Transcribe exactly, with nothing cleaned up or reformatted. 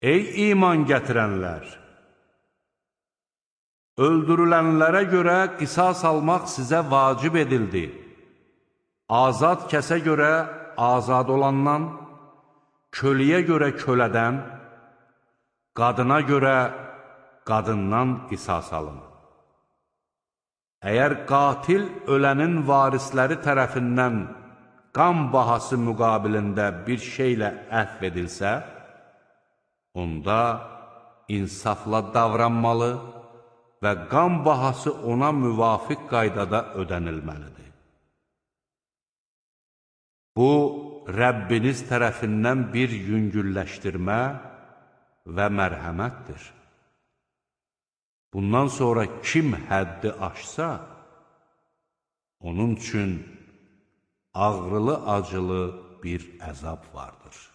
Ey iman gətirənlər! Öldürülənlərə görə qisas almaq sizə vacib edildi. Azad kəsə görə azad olandan, köləyə görə kölədən, qadına görə qadından qisas alın. Əgər qatil ölənin varisləri tərəfindən qan bahası müqabilində bir şeylə əhv edilsə, onda insafla davranmalı və qan bahası ona müvafiq qaydada ödənilməlidir. Bu, Rəbbiniz tərəfindən bir yüngülləşdirmə və mərhəmətdir. Bundan sonra kim həddi aşsa, onun üçün ağrılı-acılı bir əzab vardır.